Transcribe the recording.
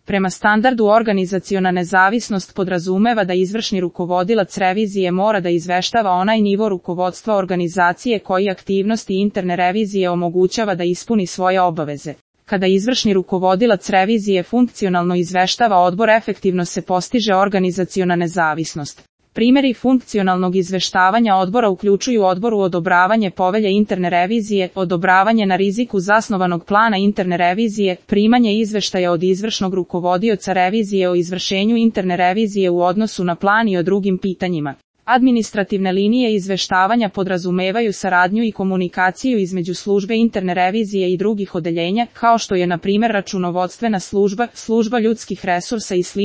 Prema standardu organizaciona nezavisnost podrazumeva da izvršni rukovodilac revizije mora da izveštava onaj nivo rukovodstva organizacije koji aktivnosti interne revizije omogućava da ispuni svoje obaveze. Kada izvršni rukovodilac revizije funkcionalno izveštava odbor, efektivno se postiže organizaciona nezavisnost. Primjeri funkcionalnog izveštavanja odbora uključuju odboru odobravanje povelje interne revizije, odobravanje na riziku zasnovanog plana interne revizije, primanje izveštaja od izvršnog rukovodioca revizije o izvršenju interne revizije u odnosu na plan i o drugim pitanjima. Administrativne linije izveštavanja podrazumevaju saradnju i komunikaciju između službe interne revizije i drugih odeljenja, kao što je na primjer računovodstvena služba, služba ljudskih resursa i sl.